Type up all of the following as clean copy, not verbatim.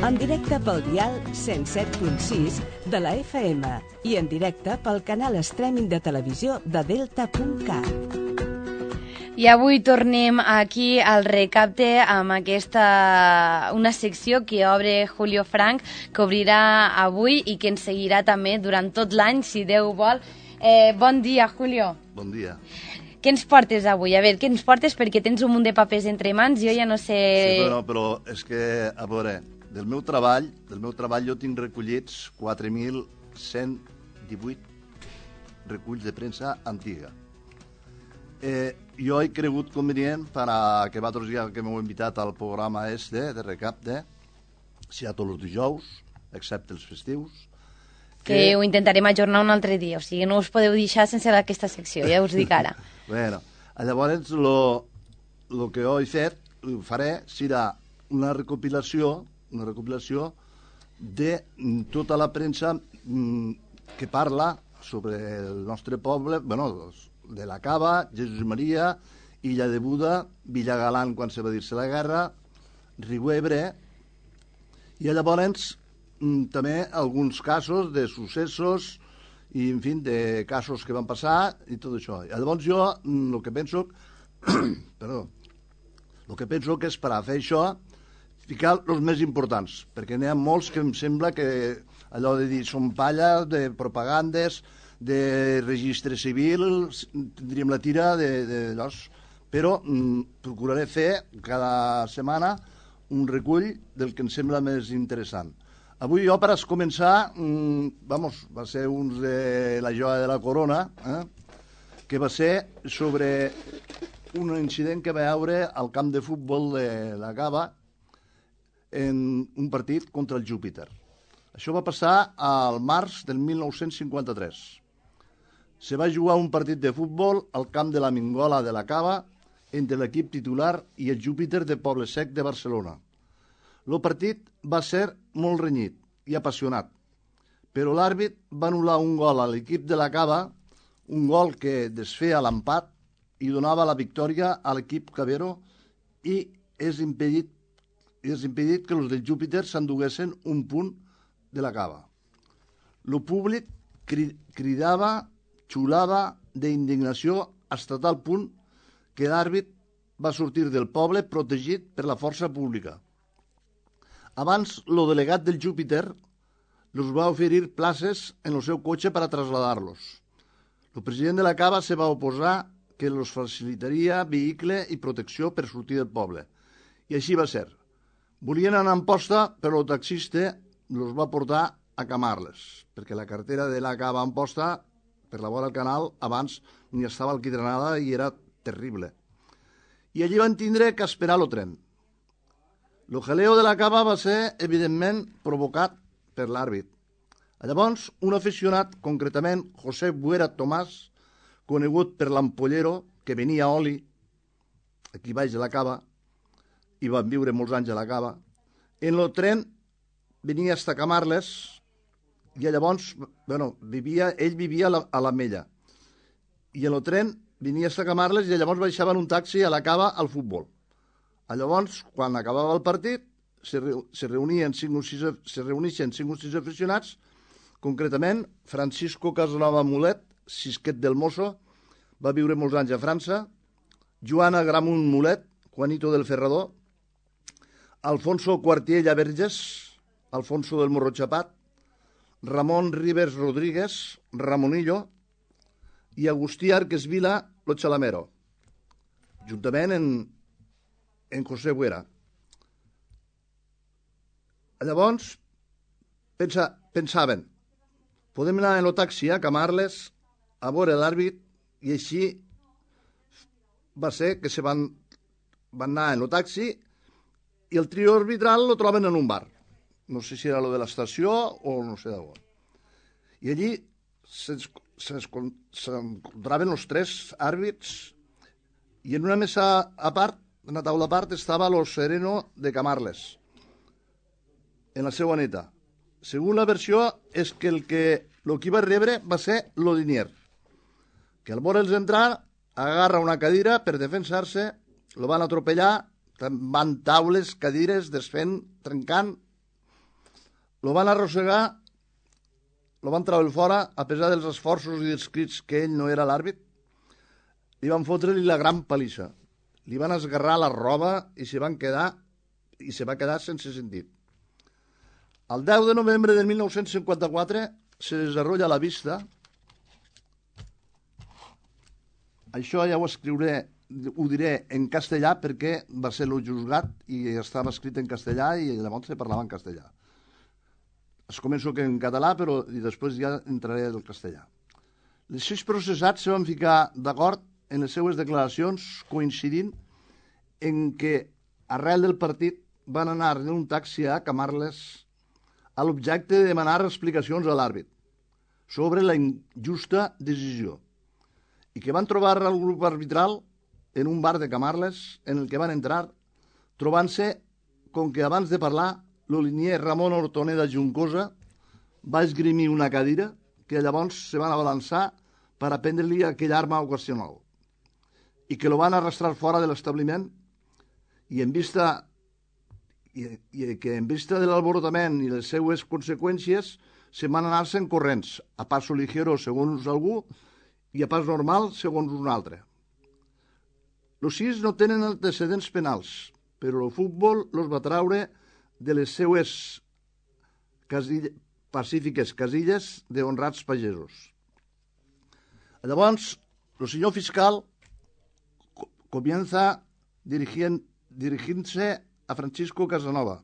En directe pel dial 107.6 de la FM i en directe pel canal streaming de televisió de Delta.cat. I avui tornem aquí al Recapte amb una secció que obre Julio Frank, que obrirà avui i que ens seguirà també durant tot l'any, si Déu vol. Bon dia, Julio. Bon dia. Què ens portes avui? A veure, què ens portes? Perquè tens un munt de papers entre mans, jo ja no sé... Sí, però és que, a veure, del meu treball jo tinc recollits 4.118 reculls de premsa antiga. Jo he cregut convenient que vosaltres ja que m'heu invitat al programa de Recapte, si a tots els dijous, excepte els festius, que ho intentarem ajornar un altre dia, o sigui, no us podeu deixar sense aquesta secció, ja us dic ara. Bueno, llavors el que jo he fet, ho faré, serà una recopilació de tota la premsa que parla sobre el nostre poble, de la Cava, Jesús Maria, Illa de Buda, Villagalant quan se va dir-se la guerra, Riu Ebre, i llavors també alguns casos de successos i, en fi, de casos que van passar i tot això. I llavors jo el que penso que és per a fer això ficar els més importants, perquè n'hi ha molts que em sembla que allò de dir són palla, de propagandes, de registre civil, tindríem la tira d'allò, però procuraré fer cada setmana un recull del que em sembla més interessant. Avui jo, per a començar, va ser un de la joia de la corona, que va ser sobre un incident que va haure al camp de futbol de la Cava en un partit contra el Júpiter. Això va passar al març del 1953. Se va jugar un partit de futbol al camp de la Mingola de la Cava entre l'equip titular i el Júpiter de Poble Sec de Barcelona. El partit va ser molt renyit i apassionat, però l'àrbit va anul·lar un gol a l'equip de la Cava, un gol que desfeia l'empat i donava la victòria a l'equip Cavero i és impedit que els del Júpiter s'enduguessin un punt de la Cava. El públic cridava, xulava d'indignació fins a tal punt que l'àrbit va sortir del poble protegit per la força pública. Abans, el delegat del Júpiter els va oferir places en el seu cotxe per a traslladar-los. El president de la Cava se va oposar que els facilitaria vehicle i protecció per sortir del poble. I així va ser. Volien anar en posta, però el taxista els va portar a Camarles, perquè la carretera de la Cava en posta, per la vora del canal, abans ni estava alquitranada i era terrible. I allí van tindre que esperar el tren. El jaleo de la Cava va ser, evidentment, provocat per l'àrbit. Llavors, un aficionat, concretament José Buera Tomàs, conegut per l'ampollero, que venia a oli, aquí baix de la Cava, i van viure molts anys a la Cava, en el tren venia fins a Camarles, i llavors, ell vivia a l'Ametlla, i en el tren venia fins a Camarles i llavors baixava en un taxi a la Cava al futbol. Llavors, quan acabava el partit, se reuneixen 5 o 6 aficionats, concretament Francisco Casanova Mulet, Sisquet del Mosso, va viure molts anys a França, Joana Gramunt Mulet, Juanito del Ferrador, Alfonso Cuartiella Verges, Alfonso del Morro Chapat, Ramon Rivers Rodríguez, Ramonillo, i Agustí Arques Vila, Lo Chalamero, juntament en José Buera. Llavors, pensaven, podem anar en el taxi a Camarles a veure l'àrbit, i així va ser que se van anar en el taxi i el trio arbitral lo troben en un bar. No sé si era lo de l'estació o no sé d'on. I allí s'encontraven els 3 àrbits i en una mesa a part, en una taula a part, estava lo sereno de Camarles, en la seva neta. Segona versió és que el que va rebre va ser l'Odinier, que al veure'ls entrar agarra una cadira per defensar-se, lo van atropellar, van taules, cadires, desfent, trencant, lo van arrossegar, lo van treure fora, a pesar dels esforços i dels crits que ell no era l'àrbit, li van fotre-li la gran palissa. Li van esgarrar la roba i se va quedar sense sentit. El 10 de novembre de 1954 se desarrolla la vista. Això ja ho diré en castellà perquè va ser el juzgat i estava escrit en castellà i llavors se parlava en castellà. Es començo en català, però i després ja entraré al castellà. Els 6 processats se van ficar d'acord en les seues declaracions, coincidint en que arrel del partit van anar en un taxi a Camarles a l'objecte de demanar explicacions a l'àrbit sobre la injusta decisió i que van trobar el grup arbitral en un bar de Camarles en el que van entrar trobant-se com que abans de parlar l'olinier Ramon Hortoneda Juncosa va esgrimir una cadira que llavors se van abalançar per a prendre-li aquella arma ocasional i que lo van arrastrar fora de l'establiment i en vista de l'alborotament i les seues conseqüències se van anar-se'n corrents, a passo ligero segons algú i a pas normal segons un altre. Els 6 no tenen antecedents penals, però el futbol los va traure de les seues pacífiques casilles d'honrats pagesos. Llavors, el senyor fiscal comienza dirigiéndose a Francisco Casanova.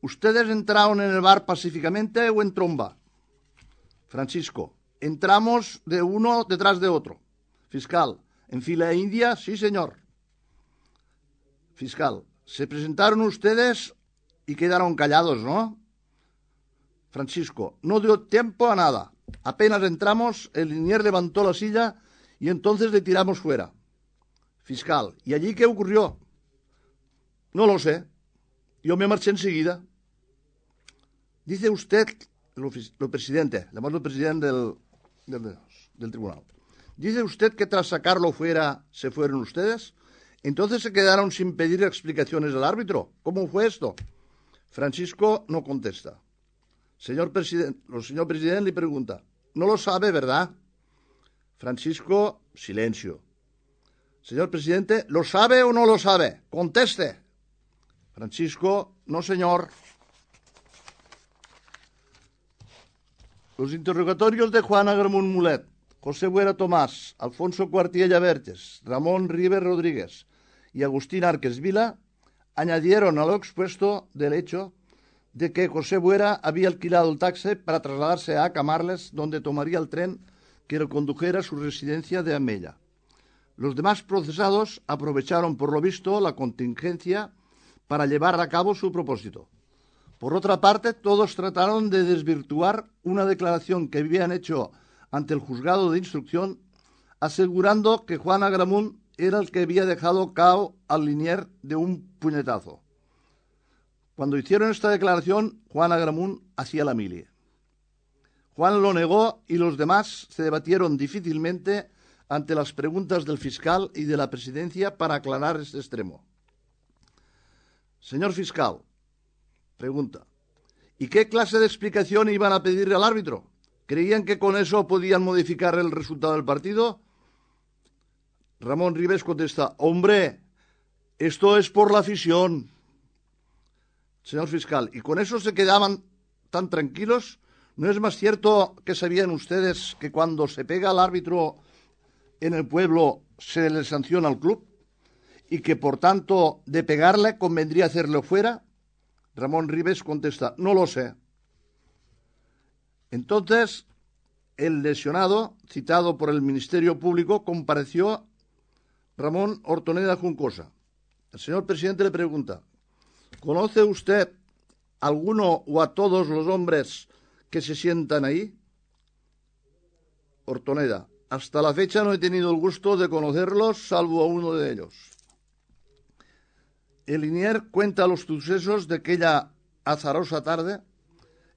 ¿Ustedes entraron en el bar pacíficamente o en tromba? Francisco, entramos de uno detrás de otro. Fiscal, ¿en fila india? Sí, señor. Fiscal, se presentaron ustedes y quedaron callados, ¿no? Francisco, no dio tiempo a nada. Apenas entramos, el linier levantó la silla y entonces le tiramos fuera. Fiscal, ¿y allí qué ocurrió? No lo sé. Yo me marché enseguida. Dice usted, el presidente del tribunal, dice usted que tras sacarlo fuera se fueron ustedes. Entonces se quedaron sin pedir explicaciones al árbitro. ¿Cómo fue esto? Francisco no contesta. El señor presidente le pregunta, no lo sabe, ¿verdad? Francisco, silencio. Señor presidente, ¿lo sabe o no lo sabe? Conteste. Francisco, no, señor. Los interrogatorios de Juan Agramunt Mulet, José Buera Tomás, Alfonso Cuartiella Verges, Ramón Ribes Rodríguez y Agustín Árquez Vila añadieron a lo expuesto del hecho de que José Buera había alquilado el taxi para trasladarse a Camarles, donde tomaría el tren que lo condujera a su residencia de Amella. Los demás procesados aprovecharon, por lo visto, la contingencia para llevar a cabo su propósito. Por otra parte, todos trataron de desvirtuar una declaración que habían hecho ante el juzgado de instrucción, asegurando que Juan Agramunt era el que había dejado cao al linier de un puñetazo. Cuando hicieron esta declaración, Juan Agramunt hacía la mili. Juan lo negó y los demás se debatieron difícilmente ante las preguntas del fiscal y de la presidencia para aclarar este extremo. Señor fiscal, pregunta, ¿y qué clase de explicación iban a pedirle al árbitro? ¿Creían que con eso podían modificar el resultado del partido? Ramón Ribes contesta, hombre, esto es por la afición. Señor fiscal, ¿y con eso se quedaban tan tranquilos? ¿No es más cierto que sabían ustedes que cuando se pega al árbitro en el pueblo se le sanciona al club? ¿Y que por tanto de pegarle convendría hacerlo fuera? Ramón Ribes contesta, no lo sé. Entonces, el lesionado, citado por el Ministerio Público, compareció Ramón Hortoneda Juncosa. El señor presidente le pregunta, ¿conoce usted alguno o a todos los hombres que se sientan ahí? Hortoneda, hasta la fecha no he tenido el gusto de conocerlos, salvo a uno de ellos. El linier cuenta los sucesos de aquella azarosa tarde.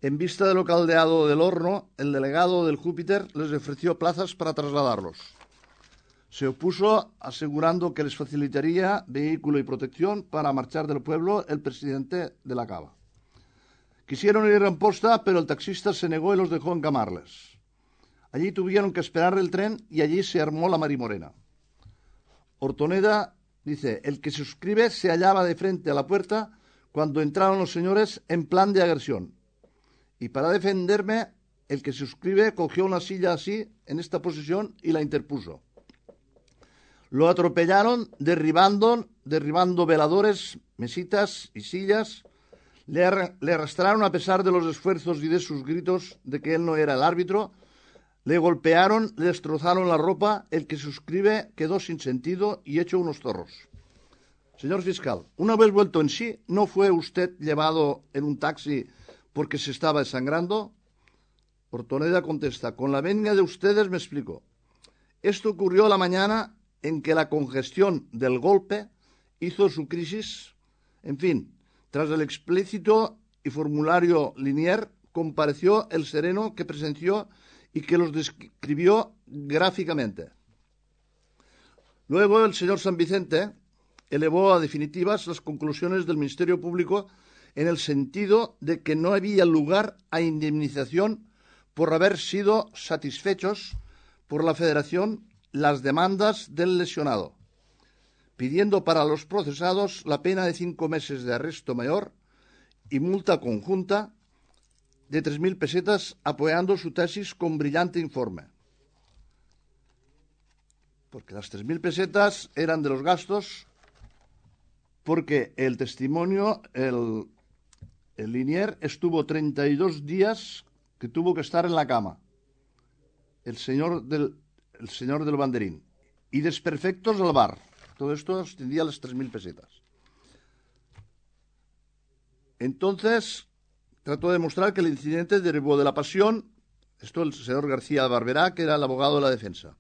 En vista de lo caldeado del horno, el delegado del Júpiter les ofreció plazas para trasladarlos. Se opuso asegurando que les facilitaría vehículo y protección para marchar del pueblo el presidente de la Cava, Quisieron ir en posta, pero el taxista se negó y los dejó en Camarles. Allí tuvieron que esperar el tren y allí se armó la marimorena. Hortoneda dice, el que se suscribe se hallaba de frente a la puerta cuando entraron los señores en plan de agresión. Y para defenderme, el que se suscribe cogió una silla así, en esta posición, y la interpuso. Lo atropellaron, derribando veladores, mesitas y sillas. Le arrastraron a pesar de los esfuerzos y de sus gritos de que él no era el árbitro. Le golpearon, le destrozaron la ropa. El que suscribe quedó sin sentido y hecho unos zorros. Señor fiscal, una vez vuelto en sí, ¿no fue usted llevado en un taxi porque se estaba desangrando? Hortoneda contesta, con la venia de ustedes me explico. Esto ocurrió la mañana en que la congestión del golpe hizo su crisis. En fin, tras el explícito y formulario Linier, compareció el sereno que presenció y que los describió gráficamente. Luego el señor San Vicente elevó a definitivas las conclusiones del Ministerio Público en el sentido de que no había lugar a indemnización por haber sido satisfechos por la Federación las demandas del lesionado, pidiendo para los procesados la pena de 5 meses de arresto mayor y multa conjunta de 3.000 pesetas, apoyando su tesis con brillante informe. Porque las 3.000 pesetas eran de los gastos, porque el testimonio, el Linier estuvo 32 días que tuvo que estar en la cama, el señor del banderín, y desperfectos al bar. Todo esto extendía las 3.000 pesetas. Entonces, trató de demostrar que el incidente derivó de la pasión, esto el señor García Barberá, que era el abogado de la defensa,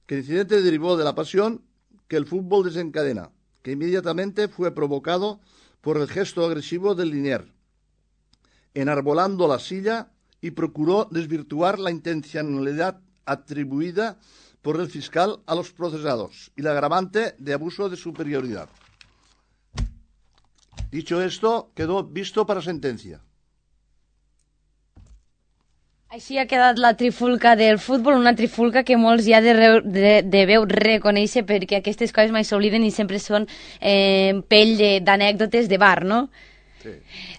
que el incidente derivó de la pasión que el fútbol desencadena, que inmediatamente fue provocado por el gesto agresivo del Linier, enarbolando la silla, y procuró desvirtuar la intencionalidad atribuida por el fiscal a los procesados y la agravante de abuso de superioridad. Dicho esto, quedó visto para sentencia. Així ha quedat la trifulca del futbol, una trifulca que molts ja deveu reconèixer perquè aquestes coses mai s'obliden i sempre són pell d'anècdotes de bar, no? Sí.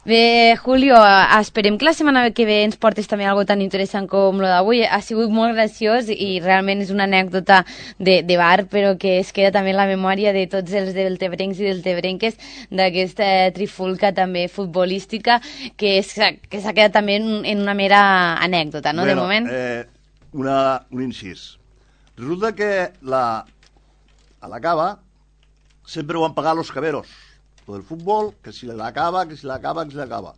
Bé, Julio, esperem que la setmana que ve ens portes també algo tan interessant com lo d'avui. Ha sigut molt graciós i realment és una anècdota de bar, però que es queda també en la memòria de tots els deltebrencs i deltebrenques d'aquesta trifulca també futbolística que s'ha quedat també en una mera anècdota, no? Bueno, de moment. Un incís. Resulta que a la cava sempre van pagar los caberos. Del fútbol, que si l'acaba, que si l'acaba, que si l'acaba.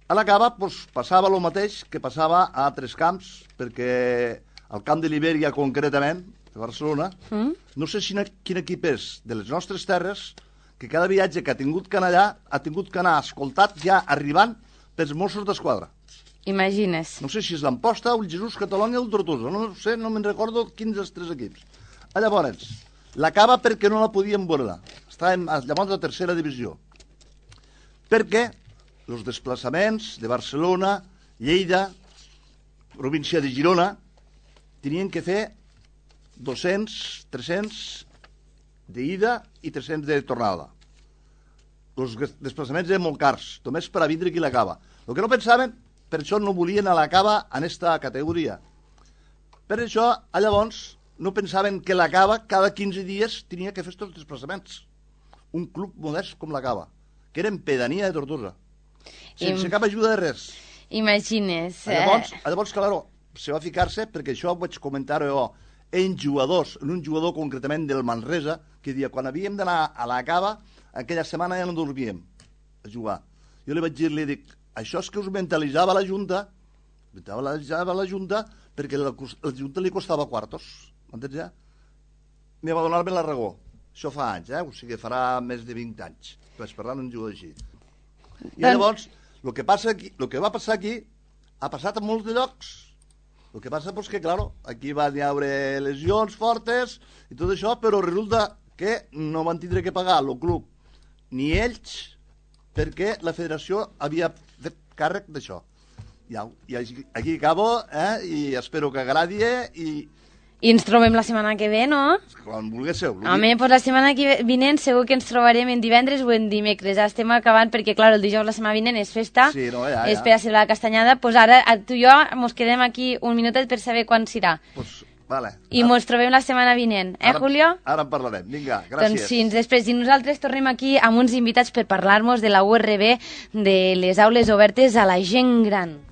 A l'acaba pues, passava el mateix que passava a altres camps, perquè al camp de l'Ibèria concretament, de Barcelona, no sé quin equip és de les nostres terres, que cada viatge que ha tingut que anar allà ha tingut que anar escoltat ja arribant pels Mossos d'Esquadra. Imagines. No sé si és l'Amposta, el Jesús, Catalunya o el Tortosa, no sé, no me'n recordo quins dels 3 equips. Llavors, l'acaba perquè no la podíem veure. Estàvem llavors a la tercera divisió. Perquè els desplaçaments de Barcelona, Lleida, província de Girona, tenien que fer 200, 300 d'ida i 300 de tornada. Els desplaçaments eren molt cars, només per a vindre qui l'acaba. El que no pensaven, per això no volien a l'acaba en aquesta categoria. Per això, llavors, no pensaven que l'acaba cada 15 dies tenia que fer aquests desplaçaments. Un club modest com l'acaba, que era en pedania de Tortosa, sense cap ajuda de res. Imagines. Llavors, claro, se va ficar-se, perquè això ho vaig comentar jo en jugadors, en un jugador concretament del Manresa, que dia, quan havíem d'anar a la cava, aquella setmana ja no dormíem a jugar. Jo li vaig dir, li dic, això és que us mentalitzava la Junta, perquè la Junta li costava quartos, m'entens ja? Me va donar-me la raó. Això fa anys, o sigui, farà més de 20 anys. Vaig parlar d'un jugador així. I llavors, el que va passar aquí, ha passat a molts de llocs. El que passa és que, clar, aquí van haver lesions fortes i tot això, però resulta que no van tindre que pagar el club, ni ells, perquè la federació havia fet càrrec d'això. I aquí acabo, i espero que agradi I ens trobem la setmana que ve, no? quan vulguéssiu. Home, doncs la setmana vinent segur que ens trobarem en divendres o en dimecres. Ja estem acabant perquè, clar, el dijous la setmana vinent és festa, Sí, no, ja. és per a celebrar la castanyada. Doncs ara tu i jo mos quedem aquí un minutet per saber quan serà. Pues, vale. I mos trobem la setmana vinent, Julio? Ara en parlarem. Vinga, gràcies. Doncs fins després. I nosaltres tornem aquí amb uns invitats per parlar-nos de la URB, de les aules obertes a la gent gran.